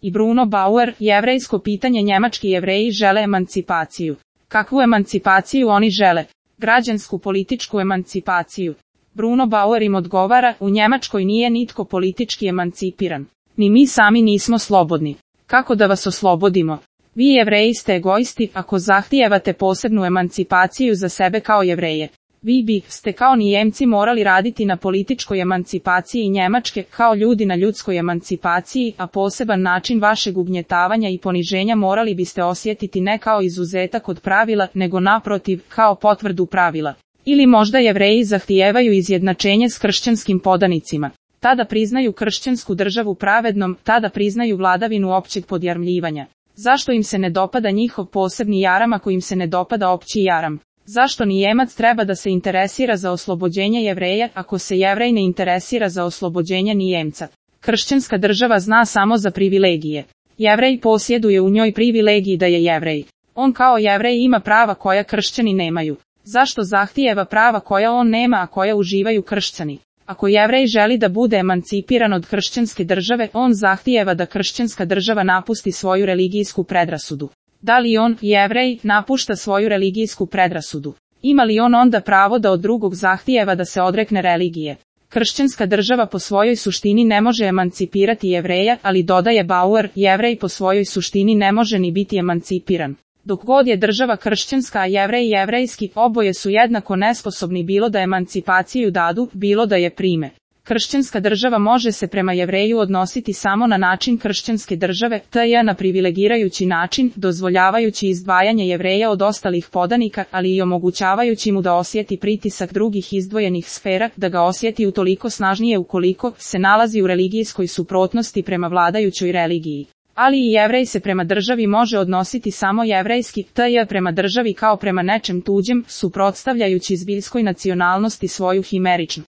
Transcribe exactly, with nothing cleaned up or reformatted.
I Bruno Bauer, jevrejsko pitanje. Njemački Jevreji žele emancipaciju. Kakvu emancipaciju oni žele? Građansku političku emancipaciju. Bruno Bauer im odgovara, u Njemačkoj nije nitko politički emancipiran. Ni mi sami nismo slobodni. Kako da vas oslobodimo? Vi Jevreji ste egoisti ako zahtijevate posebnu emancipaciju za sebe kao Jevreje. Vi bi ste kao Nijemci morali raditi na političkoj emancipaciji Njemačke, kao ljudi na ljudskoj emancipaciji, a poseban način vašeg ugnjetavanja i poniženja morali biste osjetiti ne kao izuzetak od pravila, nego naprotiv, kao potvrdu pravila. Ili možda Jevreji zahtijevaju izjednačenje s kršćanskim podanicima. Tada priznaju kršćansku državu pravednom, tada priznaju vladavinu općeg podjarmljivanja. Zašto im se ne dopada njihov posebni jaram ako im se ne dopada opći jaram? Zašto Nijemac treba da se interesira za oslobođenje Jevreja ako se Jevrej ne interesira za oslobođenje Nijemca? Kršćanska država zna samo za privilegije. Jevrej posjeduje u njoj privilegiji da je Jevrej. On kao Jevrej ima prava koja kršćani nemaju. Zašto zahtijeva prava koja on nema, a koja uživaju kršćani? Ako Jevrej želi da bude emancipiran od kršćanske države, on zahtijeva da kršćanska država napusti svoju religijsku predrasudu. Da li on, Jevrej, napušta svoju religijsku predrasudu? Ima li on onda pravo da od drugog zahtijeva da se odrekne religije? Kršćanska država po svojoj suštini ne može emancipirati Jevreja, ali dodaje Bauer, Jevrej po svojoj suštini ne može ni biti emancipiran. Dok god je država kršćanska, a Jevrej jevrejski, oboje su jednako nesposobni bilo da emancipaciju dadu, bilo da je prime. Kršćanska država može se prema Jevreju odnositi samo na način kršćanske države, to je na privilegirajući način, dozvoljavajući izdvajanje Jevreja od ostalih podanika, ali i omogućavajući mu da osjeti pritisak drugih izdvojenih sfera, da ga osjeti utoliko snažnije ukoliko se nalazi u religijskoj suprotnosti prema vladajućoj religiji. Ali i Jevrej se prema državi može odnositi samo jevrejski, to je prema državi kao prema nečem tuđem, suprotstavljajući zbiljskoj nacionalnosti svoju himeričnu.